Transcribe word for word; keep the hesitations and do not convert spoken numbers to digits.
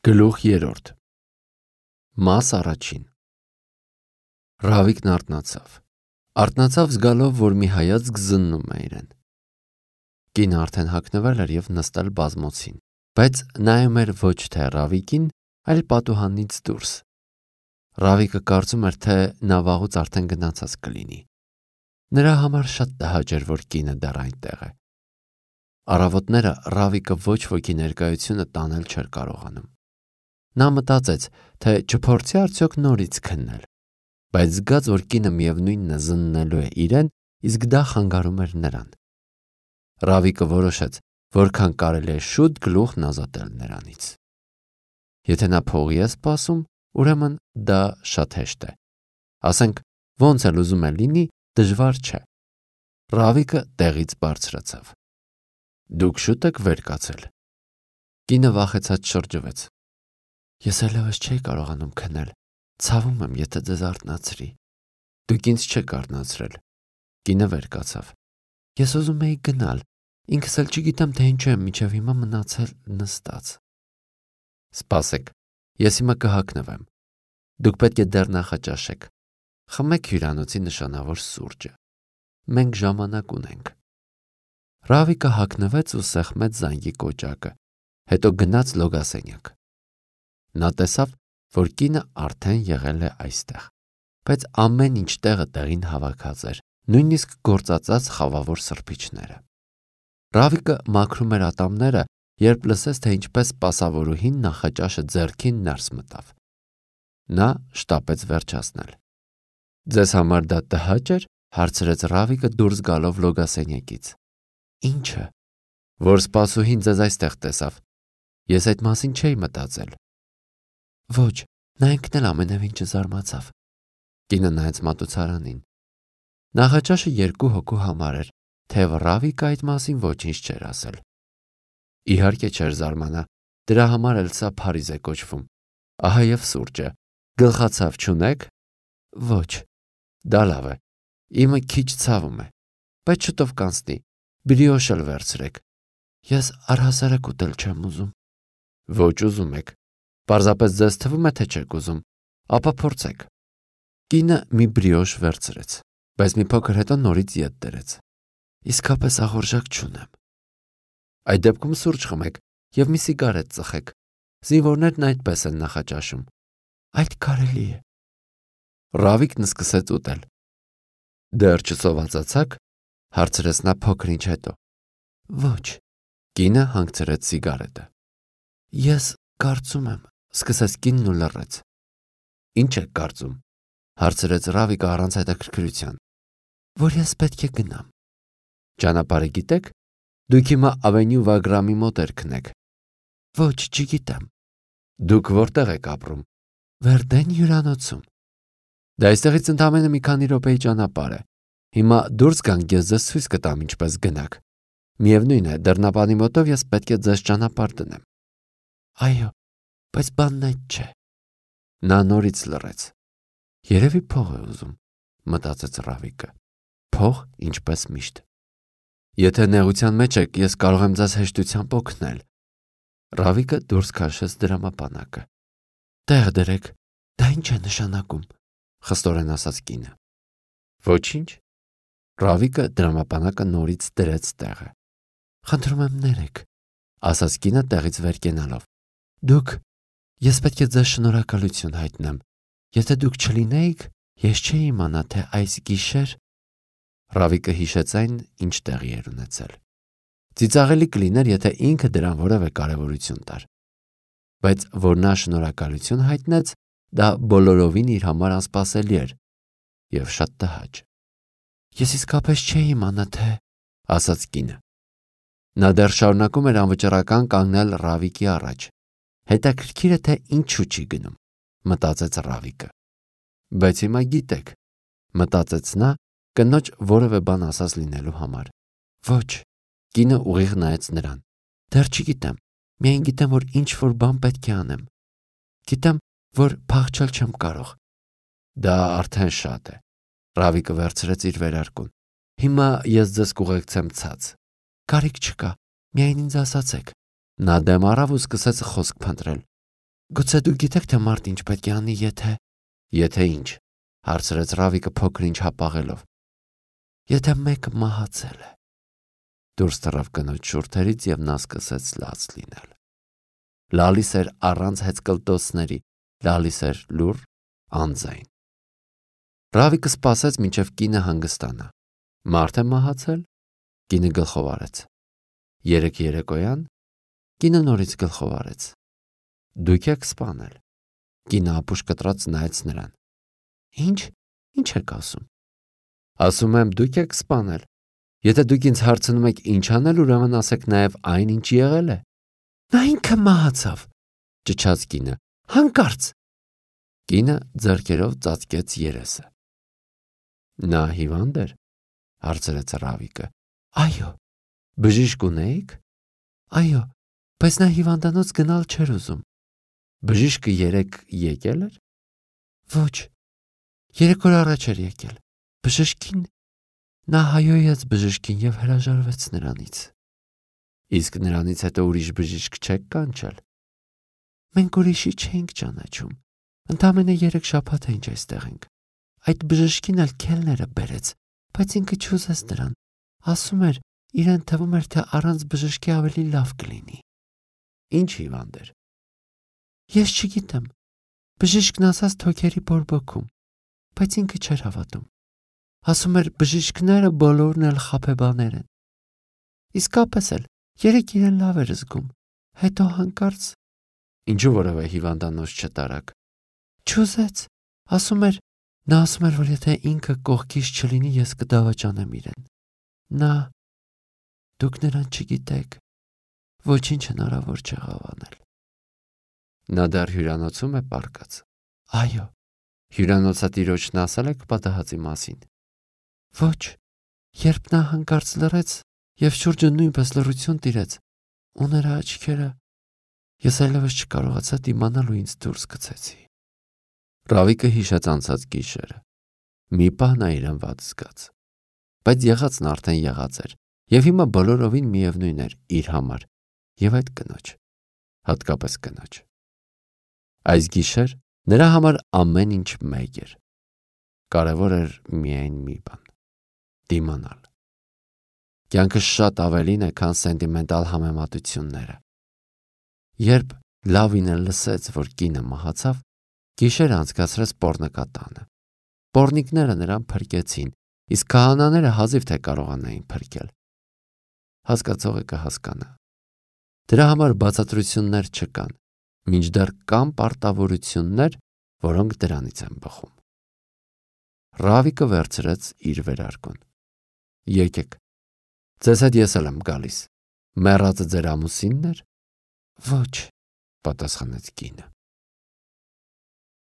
Գլուխ երրորդ Մաս առաջին Ռավիկն արթնացավ։ Արթնացավ զգալով, որ մի հայացք զննում է իրեն։ Կինը արդեն հագնվել էր և նստել բազմոցին, բայց նայում էր ոչ թե Ռավիկին, այլ պատուհանից դուրս։ Ռավիկը կարծում էր, թե նա վաղուց արդեն գնացած կլինի։ Նրա համար շատ տհաճ էր, որ կինը դեռ այնտեղ է։ Առավոտները Ռավիկը ոչ ոքի ներկայությունը տանել չէր կարողանում։ Նա մտածեց, թե չփորձի արդյոք նորից քննել, բայց զգաց, որ կինը միևնույնն է զննելու է իրեն, իսկ դա խանգարում էր նրան։ Ռավիկը որոշեց, որքան կարելի է շուտ գլուխն ազատել նրանից։ Եթե նա փողի է սպասում, ուրեմն դա շատ հեշտ է։ Ասենք, ոնց էլ ուզում է լինի, դժվար չէ։ Ռավիկը տեղից բարձրացավ։ Դուք շուտ եք վեր կացել։ Կինը վախեցած շրջվեց։ Ես այլևս չէի կարողանում քնել, ցավում եմ, եթե ձեզ արթնացրի։ Դուք ինձ չեք արթնացրել։ Կինը վեր կացավ։ Ես ուզում էի գնալ, ինքս էլ չգիտեմ, թե ինչու եմ մինչև հիմա մնացել նստած։ Սպասեք, ես հիմա կհագնվեմ։ Դուք պետք է դեռ նախաճաշեք։ Խմեք հյուրանոցի նշանավոր սուրճը։ Մենք ժամանակ ունենք։ Ռավիկը հագնվեց ու սեղմեց զանգի կոճակը, հետո գնաց լոգասենյակ։ Նա տեսավ, որ կինը արդեն եղել է այստեղ, բայց ամեն ինչ տեղը տեղին հավաքած էր, նույնիսկ գործածած խավավոր սրբիչները։ Ռավիկը մաքրում էր ատամները, երբ լսեց, թե ինչպես սպասավորուհին նախաճաշը ձեռքին ներս մտավ։ Նա շտապեց վերջացնել։ Ձեզ համար դա տհաճ էր, հարցրեց Ռավիկը դուրս գալով լոգասենյակից։ Ինչը, որ սպասուհին ձեզ այստեղ տեսավ։ Ես այդ մասին չէի մտածել։ Ոչ, նա ինքն էլ ամենևին չզարմացավ։ Կինը նայեց մատուցարանին։ Նախաճաշը երկու հոգու համար էր, թեև Ռավիկը այդ մասին ոչինչ չէր ասել։ Իհարկե չէր զարմանա, դրա համար էլ սա Փարիզ է կոչվում։ Ահա և սուրճը։ Գլխացավ չունեք։ Ոչ, դա լավ է։ Իմը քիչ ցավում է, բայց շուտով կանցնի։ Բրիոշ էլ վերցրեք։ Ես առհասարակ ուտել չեմ ուզում։ Ոչ ուզում եք։ Պարզապես ձեզ թվում է, թե չեք ուզում, ապա փորձեք։ Կինը մի բրիոշ վերցրեց, բայց մի փոքր հետո նորից ետ դրեց։ Իսկապես աղորժակ չունեմ։ Այդ դեպքում սուրճ խմեք և մի սիգարետ ծխեք։ Զինվորներն այդպես են նախաճաշում։ Այդ կարելի է։ Ռավիկն սկսեց ուտել։ Դեռ չսովածացաք, հարցրեց նա փոքր ինչ հետո։ Ոչ։ Կինը հանգցրեց սիգարետը։ Ես կարծում եմ, սկսեց կինն ու լռեց։ Ինչ եք կարծում, հարցրեց Ռավիկը առանց հետաքրքրության։ Որ ես պետք է գնամ։ Ճանապարհը գիտեք։ Դուք հիմա Ավենյու Վագրամի մոտ երգնեք։ Ոչ, չգիտեմ։ Դուք որտեղ եք ապրում։ Վերդեն հյուրանոցում։ Դա այստեղից ընդամենը մի քանի րոպեի ճանապարհ է։ Հիմա դուրս գանք, ես ձեզ ցույց կտամ ինչպես գնաք։ Միևնույն է, դռնապանի մոտով ես պետք է ձեզ ճանապարհ դնեմ։ Այո, բայց բանն այդ չէ։ Նա նորից լռեց։ Երևի փող է ուզում, մտածեց Ռավիկը։ Փող, ինչպես միշտ։ Եթե նեղության մեջ եք, ես կարող եմ ձեզ հեշտությամբ օգնել։ Ռավիկը դուրս քաշեց դրամապանակը։ Տեղ դրեք, դա ինչ է նշանակում, խստորեն ասաց կինը։ Ոչինչ։ Ռավիկը դրամապանակը նորից դրեց տեղը։ Խնդրում եմ ներեք, ասաց կինը տեղից վեր կենալով։ Դուք, ես պետք է ձեզ շնորհակալություն հայտնեմ։ Եթե դուք չլինեիք, ես չէի իմանա, թե այս գիշեր։ Ռավիկը հիշեց այն, ինչ տեղի էր ունեցել։ Ծիծաղելի կլիներ, եթե ինքը դրան որևէ կարևորություն տար։ Բայց որ նա շնորհակալություն հայտնեց, դա բոլորովին իր համար անսպասելի էր և շատ տհաճ։ Ես իսկապես չէի իմանա, թե, ասաց կինը։ Նա դեռ շարունակում էր անվճռական կանգնել Ռավիկի առաջ։ Հետաքրքիր է, թե ինչու չի գնում, մտածեց Ռավիկը։ Բայց հիմա գիտեք, մտածեց նա, կնոջ որևէ բան ասած լինելու համար։ Ոչ, կինը ուղիղ նայեց նրան։ Դեռ չգիտեմ, միայն գիտեմ, որ ինչ-որ բան պետք է անեմ։ Գիտեմ, որ փախչել չեմ կարող։ Դա արդեն շատ է։ Ռավիկը վերցրեց իր վերարկուն։ Հիմա ես ձեզ կուղեկցեմ ցած։ Կարիք չկա, միայն ինձ ասացեք։ Նա դեմ առավ ու սկսեց խոսք փնտրել։ Գուցե դուք գիտեք, թե մարդ ինչ պետք է անի, եթե… Եթե ինչ, հարցրեց Ռավիկը փոքր-ինչ հապաղելով։ Եթե մեկը մահացել է։ Դուրս թռավ կնոջ շուրթերից և նա սկսեց լաց լինել։ Լալիս էր առանց հեծկլտոցների, լալիս էր լուռ, անձայն։ Ռավիկը սպասեց, մինչև կինը հանգստանա։ Մարդ է մահացել, կինը գլխով արեց։ Երեկ երեկոյան կինը նորից գլխով արեց։ Դուք եք սպանել։ Կինը ապուշ կտրած նայեց նրան։ Ինչ, ինչ եք ասում։ Ասում եմ, դուք եք սպանել։ Եթե դուք ինձ հարցնում եք ինչ անել, ուրեմն ասեք նաև այն, ինչ եղել է։ Նա ինքը մահացավ, ճչաց կինը, հանկարծ։ Կինը ձեռքերով ծածկեց երեսը։ Նա հիվանդ էր, հարցրեց Ռավիկը։ Այո։ Բժիշկ ունեիք։ Այո, բայց նա հիվանդանոց գնալ չէր ուզում։ Բժիշկը երեկ եկել էր։ Ոչ, երեք օր առաջ էր եկել։ Բժշկին… Նա հայոյեց բժշկին և հրաժարվեց նրանից։ Իսկ նրանից հետո ուրիշ բժիշկ չեք կանչել։ Մենք ուրիշի չէինք ճանաչում։ Ընդամենը երեք շաբաթ է ինչ այստեղ ենք։ Այդ բժշկին էլ քելները բերեց, բայց ինքը չուզեց նրան։ Ասում էր, իրեն թվում էր, թե առանց բժշկի ավելի լավ կլինի։ Ինչ հիվանդ էր։ Ես չգիտեմ։ Բժիշկն ասաց թոքերի բորբոքում, բայց ինքը չէր հավատում։ Ասում էր, բժիշկները բոլորն էլ խաբեբաներ են։ Իսկապես էլ, երեկ իրեն լավ էր զգում, հետո հանկարծ… Ինչու որևէ հիվանդանոց չտարակ։ Չուզեց, ասում էր… Նա ասում էր, որ եթե ինքը կողքից չլինի, ես կդավաճանեմ իրեն։ Նա… Դուք նրան չգիտեք, ոչինչ հնարավոր չեղավ անել։ Նա դեռ հյուրանոցում է պառկած։ Այո։ Հյուրանոցատիրոջն ասել եք պատահածի մասին։ Ոչ, երբ նա հանկարծ լռեց և շուրջը նույնպես լռություն տիրեց, ու նրա աչքերը… Ես այլևս չկարողացա դիմանալ ու ինձ դուրս գցեցի։ Ռավիկը հիշեց անցած գիշերը։ Մի պահ նա իրեն վատ զգաց։ Բայց եղածն արդեն եղած էր, և հիմա բոլորովին միևնույն էր իր համար և այդ կնոջ, հատկապես կնոջ։ Այս գիշեր նրա համար ամեն ինչ մեկ էր։ Կարևոր էր միայն մի բան՝ դիմանալ։ Կյանքը շատ ավելին է, քան սենտիմենտալ համեմատությունները։ Երբ Լավինը լսեց, որ կինը մահացավ, գիշերը անցկացրեց պոռնկատանը։ Պոռնիկները նրան փրկեցին, իսկ քահանաները հազիվ թե կարողանային փրկել։ Հասկացողը կհասկանա։ Դրա համար բացատրություններ չկան, մինչդեռ կան պարտավորություններ, որոնք դրանից են բխում։ Ռավիկը վերցրեց իր վերարկուն։ Եկեք, ձեզ հետ ես էլ եմ գալիս։ Մեռածը ձեր ամուսինն էր։ Ոչ, պատասխանեց կինը։